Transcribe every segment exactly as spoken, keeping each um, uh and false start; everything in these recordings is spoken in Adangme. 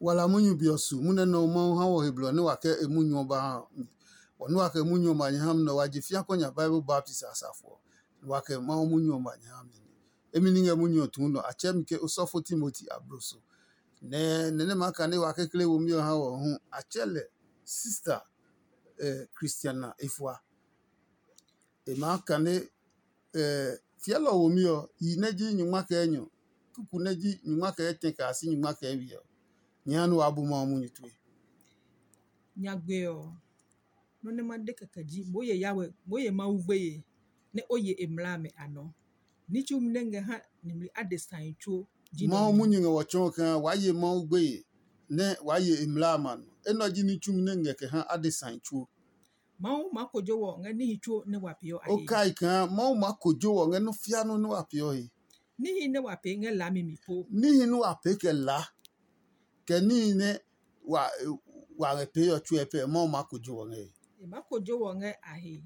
Wala munyu be ɔ su munyu nɛ Mawu ha wɔ he blɔ nɛ wa kɛ e munyu ɔ ba ha mi. Bɔ nɛ wa kɛ munyu ɔ ma nyɛ ha mi nɛ wa je fia kɔ nya Bible baptist asafo ɔ, nɛ wa kɛ Mawu munyu ɔ ma nyɛ ha mi. Emi ní ngɛ munyu ɔ tuu nɔ, a tsɛɛ mi ke osɔfo Timoti abloso. Nɛ nɛ nɛ maa kane wa kekle womi ɔ ha wɔ hu, a tsɛɛ lɛ sista eh, Christiana efua. E maa kane eh, fiɛlɔ womi ɔ, yi nɛ ji nyungma kɛ enyɔ, kuku nɛ ji nyungma kɛ etɛ kɛ a si nyungma kɛ ewe ɔ, nyɛ ha nɛ waa bu Mawu munyu tue. Nyagbe ɔ, nɔ́ nɛ ma de kɛkɛ ji, moo ye Yawe, moo ye Mawu gbeye, nɛ o ye e mlaa amɛ a nɔ. Ní tsumi nɛ ngɛ ha nimli adesai tsuo ji nɔ Mawu nɛ. Munyu ngɛ wɔ tsɔɔ kaa waa ye Mawu gbeye, nɛ waa ye e mlaa amɛ a nɔ. Enɛ ɔ ji ní tsumi nɛ ngɛ kɛ ha adesai tsuo. Mawu maa kojo wɔ ngɛ níhi tsuo nɛ wa peeɔ a O he. Kai kaa Mawu maa kojo wɔ ngɛ nɔ́ fia nɔ́ nɛ wa peeɔ he. Níhi nɛ wa pee ngɛ laami mi po. Níhi nɛ wa pee kɛ laa, kɛ níhi nɛ wa wa ngɛ pee ɔ tsuɛ pɛ, Mawu maa kojo wɔ ngɛ he. E maa kojo wɔ ngɛ a he.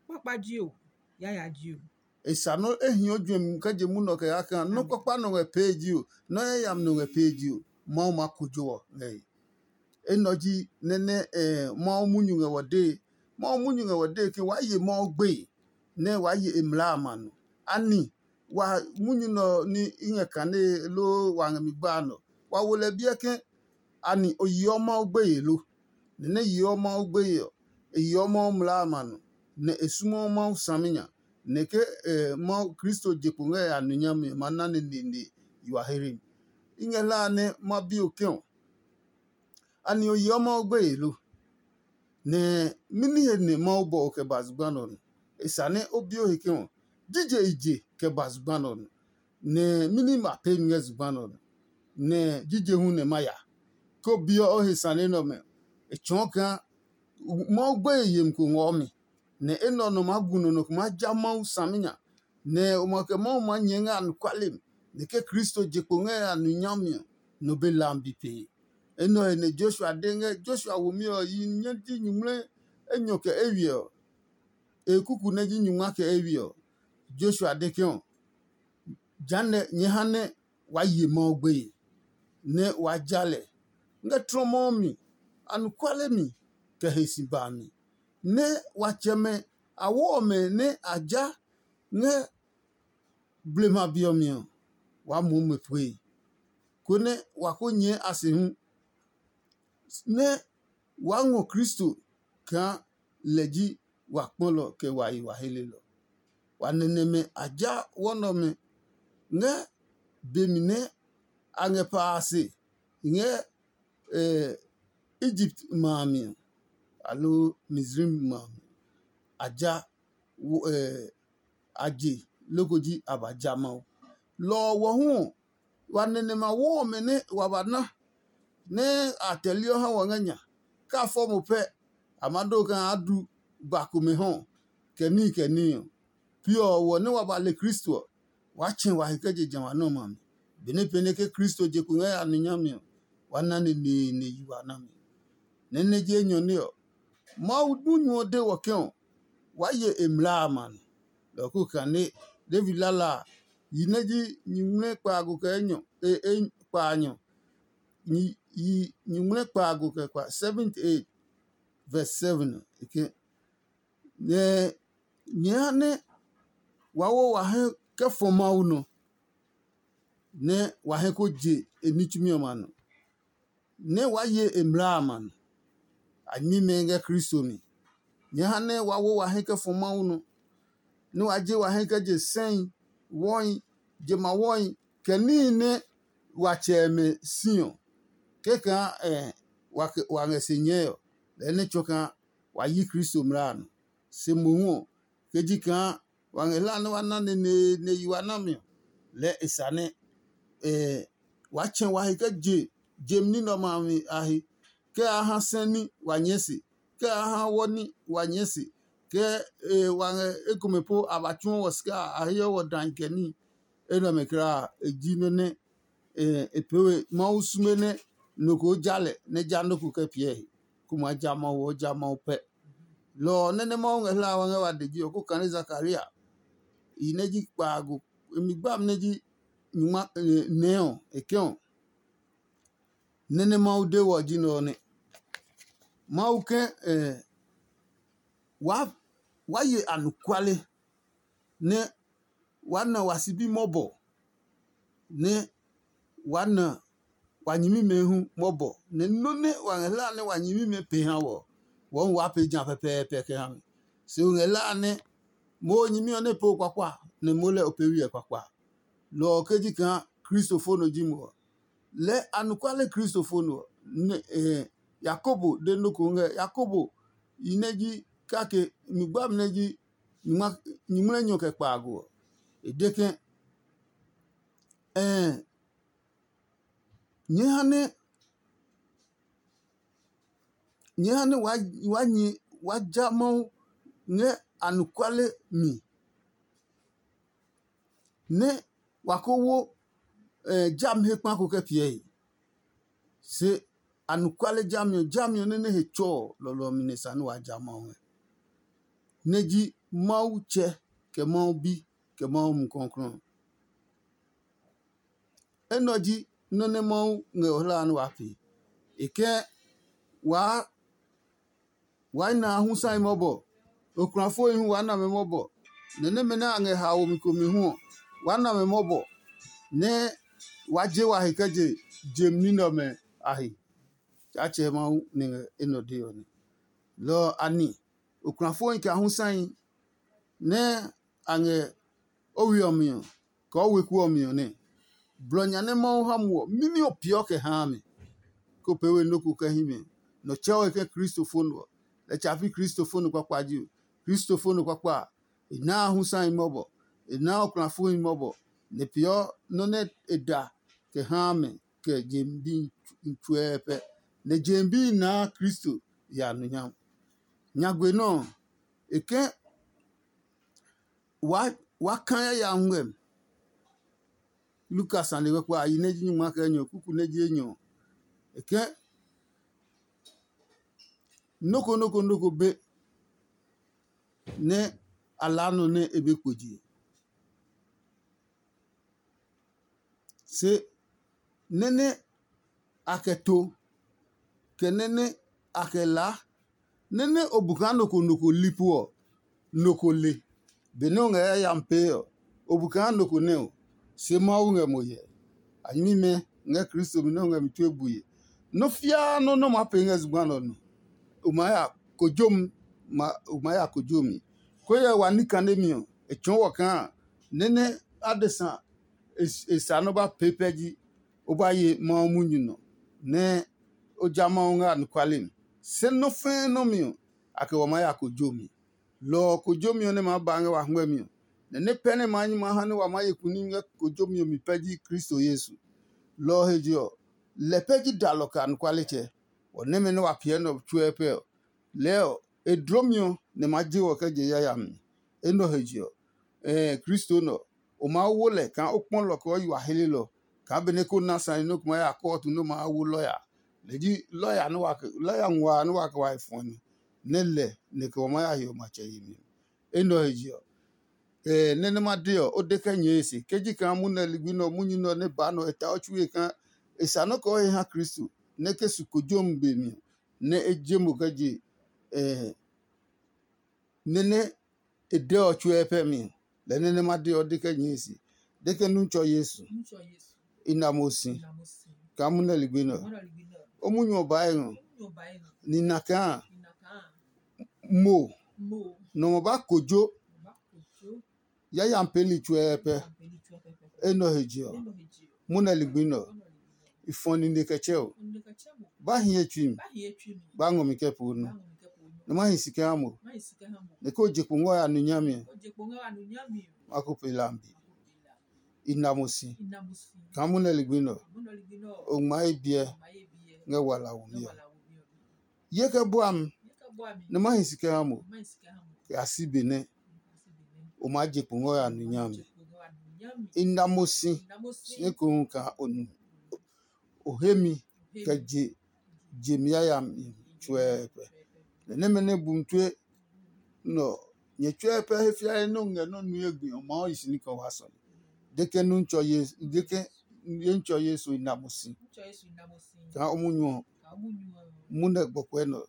Kpakpa ji o, yaya ji o. E sa nɔ́ e hiɔ juɛmi kɛ je munɔ kɛ yaa kaa nɔ́ kpakpa nɔ ngɛ pee ji o, nɔ́ yayami nɔ ngɛ pee ji o, Mawu maa kojo wɔ ngɛ he. Enɛ ɔ ji nɛ nɛ eh, Mawu munyu ngɛ wɔ dee. Mawu munyu ngɛ wɔ dee ke waa ye Mawu gbeye, nɛ waa ye e mlaa a ma nɔ. Ani wa munyu nɛ ɔ ní i ngɛ kanee loo wa ngɛ mi gbaa nɔ? Wa wo lɛ biɛ ke ani o yeɔ Mawu gbeye lo? Nɛ nɛ yeɔ Mawu gbeye ɔ, e yeɔ Mawu mlaa a ma nɔ, nɛ e sumaɔ Mawu saminya, nɛ ke eh, Mawu Kristo je kpo ngɛ ya nɔ nyami ɔ ma na nɛ neene yi wa here mi. I ngɛ hlaa nɛ ma bi o ke ɔ, ani o yeɔ Mawu gbeye lo? Nɛ mɛni he nɛ Mawu bɔ o kɛ ba zugba nɛ ɔ nɔ? E sa nɛ o bi o he ke ɔ, jije i je kɛ ba zugba nɛ ɔ nɔ? Nɛ mɛni ma pee mi ngɛ zugba nɛ ɔ nɔ? Nɛ jije hu nɛ ma ya? Ke o biɔ o he sane nɛ ɔmɛ, e tsɔɔ kaa Mawu gbeye yemi ko ngɔɔ mi, nɛ enɛ ɔ nɔ maa gu nɔ nɔ ko maa ja Mawu saminya, nɛ o ma kɛ Mawu maa nyɛɛ ngɛ anɔkuale mi, nɛ ke Kristo je kpo ngɛ a nɔ nyami ɔ, nɔ be lam bi pee. Enɛ ɔ he nɛ Joshua de ngɛ Joshua womi ɔ yi nyɛ ji nyuŋmlɛ enyɔ kɛ eywiɛ ɔ, e kuku nɛ ji nyungma kɛ eywiɛ ɔ. Joshua de ke ɔ, jehanɛ nyɛ ha nɛ waa ye Mawu gbeye, nɛ waa ja lɛ ngɛ tlɔmɔ ɔ mi, anɔkuale mi, kɛ he si ba a mi, nɛ wa tsɛmɛ a wo ɔmɛ nɛ a ja ngɛ blema be ɔ mi ɔ, waa moo mɛ pue, konɛ wa ko nyɛɛ a se hu, nɛ waa ngɔ Kristo kaa lɛ ji wa kpɔlɔ kɛ wa yi wa helelɔ. Wa nɛnɛmɛ a ja wɔnɔmɛ ngɛ be mi nɛ a ngɛ pa a se ngɛ Egipt ma a mi ɔ, aloo Mizraim ma a mi ɔ, a ja a je loko ji a ba ja Mawu. Lɔ ɔ wɔ hu ɔ, wa nɛnɛmɛ a wo ɔmɛ nɛ wa ba na nɛ a tɛliɔ ha wɔ ngɛ nya. Kɛ a fɔ mo pɛ, a ma do kaa a du ba komɛ hɔ kɛ níhi kɛ níhi ɔ. Pi ɔ wɔ nɛ wa ba le Kristo ɔ, waa tsɛ wa he kɛ je jamɛ a nɔmɛ a mi. Benɛ pɛnɛ ke Kristo je kpo ngɛ a nɔ nyami ɔ, wa na neneene yi wa nami. Nɛ nɛ je enyɔ nɛ ɔ, Mawu munyu ɔ de wɔ ke ɔ, waa ye e mlaa a ma nɔ. Lɔ ɔ ko kane David lala a, yi nɛ ji nyuŋmlɛ kpaago kɛ enyɔ e e kpaanyɔ, yi nyuŋmlɛ kpaago kɛ kpa seventy eight verse seven ɔ, e ke nɛ nyɛɛ ha nɛ wa wo wa hɛ kɛ fɔ Mawu nɔ, nɛ wa hɛ ko je e ní tsumi ɔmɛ a nɔ, nɛ waa ye e mlaa a ma nɔ. A nyɛmimɛ ngɛ Kristo mi. Nyɛɛ ha nɛ wa wo wa hɛ kɛ fɔ Mawu nɔ, nɛ wa je wa hɛ kɛ je sɛi, wɔhi, je ma wɔhi, kɛ níhi nɛ wa tsɛ ɔmɛ si ɔ, kɛkaa wa ngɛ se nyɛɛ ɔ, lɛɛ nɛ tsɔ kaa wa yi Kristo mlaa a nɔ. Se mohu ɔ, ke ji kaa wa ngɛ hlaa nɛ wa na neneene yi wa nami ɔ, lɛɛ e sa nɛ waa tsɛ wa he kɛ je je ní nɛ ɔmɛ a he, kɛ a ha sɛ ní wa nyɛɛ se, kɛ a ha wɔ ní wa nyɛɛ se, kɛ wa ngɛ ekomɛ po a ba tsuɔ wɔ sika a heɔ wɔ dai kɛ ní. Enɛ ɔmɛ kulaa e ji nɔ́ nɛ e pee we Mawu sume nɛ nɔ ko ja lɛ nɛ ja nɔ́ ko kɛ piɛ he, kó maa ja Mawu ɔ ja Mawu pɛ. Lɔ ɔ nɛ nɛ Mawu ngɛ hlaa wa ngɛ wa de ji ɔ, kó kane Zakaria yi nɛ ji kpaago, e mi gbami nɛ ji nyuma nɛɛ ɔ, e kɛ ɔ, Nɛ nɛ Mawu de wɔ ji nɛ ɔ nɛ. Mawu ke eh, wa wa ye anɔkuale nɛ wa na wa sibi mɔbɔ nɛ wa na wa nyɛmimɛ hu mɔbɔ nɛ nɔ́ nɛ wa ngɛ hlaa nɛ wa nyɛmimɛ pe ha wɔ, wɔɔ wa pee ja pɛpɛɛpɛ kɛ ha mi. Se o ngɛ hlaa nɛ moo nyɛmi ɔ nɛ pee o kpakpa nɛ moo lɛ o pee wi ɛ kpakpa. Lɔ ɔ ke ji kaa Kristofo nɔ ji mo ɔ, lɛɛ anɔkuale Kristofo nɔ ɔ, nɛ eh, Yakobo de nɔ́ ko ngɛ Yakobo yi nɛ ji kake mi gbami nɛ ji nyingmlɛnyɔ kɛ kpaago ɔ. E de ke, ɛɛ nyɛɛ ha nɛ nyɛɛ ha nɛ wa wa nyi wa ja Mawu ngɛ anɔkuale mi nɛ wa ko wo eh, jami he kpa ko kɛ piɛ he. Se anɔkuale jami ɔ, jami ɔ nɛ nɛ he tsɔ ɔ, lɔlɔ ɔ mi nɛ sa nɛ wa ja Mawu ngɛ. Nɛ ji Mawu Tsɛ, kɛ Mawu Bi, kɛ Mawu Mumi Klɔuklɔu. Enɛ ɔ ji nɔ́ nɛ Mawu ngɛ o hlaa nɛ waa pee. E kɛ waa waa na hu sã mɔbɔ. Okulafoi hu waa na mɛ mɔbɔ. Nɛ nɛmɛ nɛ a ngɛ haomi komi hu ɔ, waa na mɛ mɔbɔ nɛ waa je wa he kɛ je jem ní nɛ ɔmɛ a he. Tsaatsɛ Mawu nɛ ngɛ enɛ ɔ dee ɔ nɛ. Lɔ ɔ a ni okulafoi kɛ a hu sãhi nɛ a ngɛ o we ɔ mi ɔ, kɛ o weku ɔ mi ɔ nɛ. Blɔ nya nɛ Mawu ha muɔ mimi ɔ peeɔ kɛ haa mɛ, kó pee we nɔ́ ko kɛ hí mɛ. Nɔ tsɛɔ he ke Kristofo nɔ ɔ, lɛ tsa pi Kristofo nɔ kpakpa ji o. Kristofo nɔ kpakpa a, e naa hu sãhi mɔbɔ, e naa okulafoi mɔbɔ, nɛ peeɔ nɔ́ nɛ e da kɛ haa mɛ kɛ je bi tsuɛɛ pɛ. Nɛ je bi naa Kristo ya nɔ nya. Nyagbe nɔ́ ɔ, e ke waa kaa yayami ngmɛmi. Lukas sane kpakpa a yi nɛ ji nyungma kɛ enyɔ kuku nɛ ji enyɔ. E ke noko noko noko be nɛ a laa nɔ nɛ e be kpo je. Se nɛ́ nɛ a kɛ to, kɛ nɛ́ nɛ a kɛ laa, nɛ́ nɛ o bu kaa nɔ ko nɔ ko li po ɔ, nɔ ko le. Benɛ o ngɛ yayami pee ɔ, o bu kaa nɔ ko nɛ ɔ, se Mawu ngɛ mo hyɛ. A nyɛmimɛ ngɛ Kristo mi nɛ o ngɛ mi tue bue. Nɔ́ fiaa nɔ́ nɛ o maa pee ngɛ zugba nɛ ɔ nɔ, o maa ya kojomi, o maa ya kojomi. Ko hyɛ wa ní kanemi ɔ, e tsɔɔ wɔ kaa nɛ́ nɛ adesa e sa nɔ́ ba pee pɛ ji o ba ye Mawu munyu nɔ nɛ o ja Mawu ngɛ anɔkuale mi. Se nɔ́ fɛɛ nɔ́ mi ɔ, a kɛ wa maa ya kojomi. Lɔ ɔ kojomi ɔ nɛ maa ba ngɛ wa hwɛmi ɔ, nɛ nɛ pɛ nɛ maa nyi maa ha nɛ wa maa ye kuni ngɛ kojomi ɔ mi pɛ ji Kristo Yesu. Lɔ ɔ he je ɔ, lɛ pɛ ji dalɔ kɛ anɔkualetsɛ. Wɔ nɛmɛ nɛ wa piɛ nɛ ɔ tsuɛ pɛ ɔ, lɛɛ ɔ, e dlomi ɔ nɛ ma je wɔ kɛ je yayami. Enɛ ɔ he je ɔ, ɛɛ Kristo nɛ ɔ, o maa wo lɛ kaa o kpɔ lɔ kɛ o yi wa helelɔ, kaa benɛ ko na sane nɛ o ko maa ya kɔɔtu nɛ o maa wo lɔya. Lɛ ji lɔya nɛ wa lɔya nguaa nɛ wa kɛ wa he fɔni, nɛ lɛ nɛ kɛ wa maa ya hiɔ matsɛ yemi. Enɛ ɔ he je ɔ, ɛɛ nɛ nɛ ma de ɔ, o de kɛ nyɛɛ e se. Ke ji kaa munɛ ligbi nɛ ɔ, munyu nɛ ɔ nɛ baa nɛ ɔ, e ta o tsue kaa e sa nɔ́ kɛ o he ha Kristo, nɛ ke su kojomi be mi ɔ, nɛ e je mo kɛ je ɛɛ nɛ nɛ e dɛ ɔ tsuɛ pɛ mi. Lɛ nɛ nɛ ma de ɔ de kɛ nyɛɛ se, de kɛ nu tsɔ Yesu. I na mo si kaa munɛ ligbi nɛ ɔ, o munyu ɔ baa e ngɔ. Ni na kaa mo nɔ mo ba kojo yayami peeli tsuɛ pɛ. Enɛ ɔ he je ɔ, munɛ ligbi nɛ ɔ, i fɔ nine kɛ tsɛ o. Ba hi ye tsui mi, ba ngɔ mi kɛ poo nu. Nɛ ma hi si kɛ ha mo, nɛ ko je kpo ngɔ ya nu nyami ɔ, ma ko pe lambi. I na mo si kaa munɛ ligbi nɛ ɔ, o ngma ye biɛ ngɛ wala womi ɔ. Ye kɛ bua mi nɛ ma hi si kɛ ha mo, kɛ a si be nɛ o maa je kpo ngɛ o ya nu nyami. I na mo si si ekohu kaa o nu o he mi kɛ je je mi yayami tsuɛɛ pɛ. Nɛ nɛmɛ nɛ bu mi tue nɛ ɔ, nyɛ tsuɛɛ pɛ he fiae nɛ o ngɛ nɔ́ nue gbi ɔ maa yi si ní kɛ wa sɔle. De kɛ nu tsɔ ye de kɛ ye ntsɔ Yesu i na mo si. Kaa o munyu ɔ, mu nɛ gbɔkuɛ nɔ,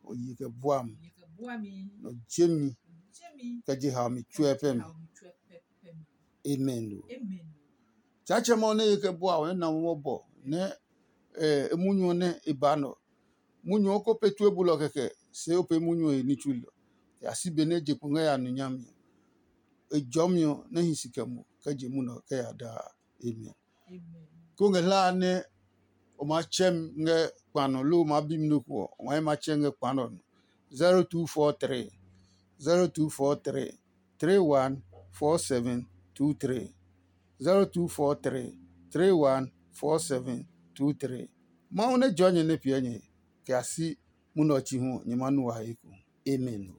o yi kɛ bua mi, nɔ je mi kɛ je haomi tsuɛ pɛ mi. Amen. Tsaatsɛmɛ ɔ nɛ ye kɛ bua ɔ nɛ na mɔ bɔ nɛ e munyu ɔ nɛ e ba nɔ. Munyu ɔ ko pe tue bulɔ kɛkɛ, se o pe munyu ɔ he ní tsui lɔ. Ya si be nɛ je kpo ngɛ ya nu nyami ɔ. E jɔmi ɔ nɛ hi si kɛ mo kɛ je munɔ kɛ ya daa. Amen. Ko ngɛ hlaa nɛ o ma tsɛ mi ngɛ kpa nɔ loo o ma bi mi nɔ ko ɔ, o ma yi ma tsɛ ngɛ kpa nɔ nɔ. zero two four three zero two four three three one four seven two three. zero two four three three one four seven two three. Mawu nɛ jɔ nyɛ nɛ piɛ nyɛ kɛ a si munɔ ɔ chi hu nyɛ ma nu wa he ko. Amen.